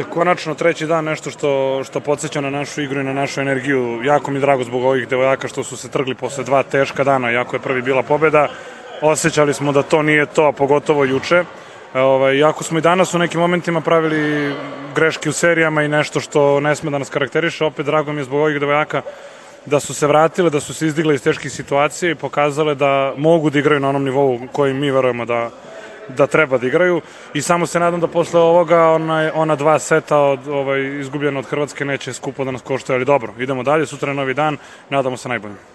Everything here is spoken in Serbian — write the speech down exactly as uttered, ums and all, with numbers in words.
Konačno treći dan, nešto što, što podsjeća na našu igru i na našu energiju. Jako mi je drago zbog ovih devojaka što su se trgli posle dva teška dana, jako je prvi bila pobeda. Osjećali smo da to nije to, a pogotovo juče. Ovaj, jako smo i danas u nekim momentima pravili greške u serijama i nešto što ne sme da nas karakteriše. Opet drago mi je zbog ovih devojaka da su se vratile, da su se izdigle iz teških situacija i pokazale da mogu da igraju na onom nivou koji mi verujemo da da treba da igraju i samo se nadam da posle ovoga ona, ona dva seta od, ovaj, izgubljena od Hrvatske neće skupo da nas koštaju, ali dobro, idemo dalje, sutra je novi dan, nadamo se najbolje.